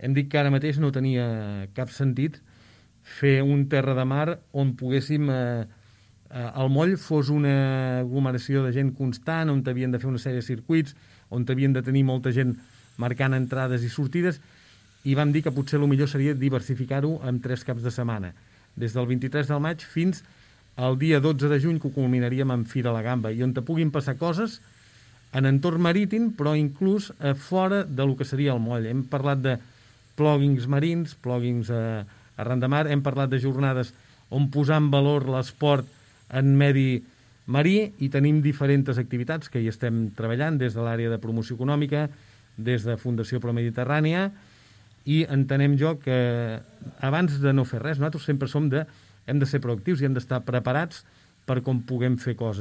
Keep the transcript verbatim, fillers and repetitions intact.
hem dit que ara mateix no tenia cap sentit fer un terra de mar on poguéssim... Eh, eh, el moll fos una aglomeració de gent constant, on havien de fer una sèrie de circuits, on havien de tenir molta gent marcant entrades i sortides, i vam dir que potser el millor seria diversificar-ho en tres caps de setmana, des del vint-i-tres del maig fins al dia dotze de juny, que ho culminaríem amb Fira la Gamba, i on te puguin passar coses en entorn marítim, però inclús a fora del que seria el moll. Hem parlat de plògings marins, plògings a, arran de mar, hem parlat de jornades on posar en valor l'esport en medi marí, i tenim diferents activitats que hi estem treballant des de l'àrea de promoció econòmica, des de Fundació Promediterrània, i entenem jo que abans de no fer res, nosaltres sempre som de hem de ser proactius i hem d'estar preparats per com puguem fer coses.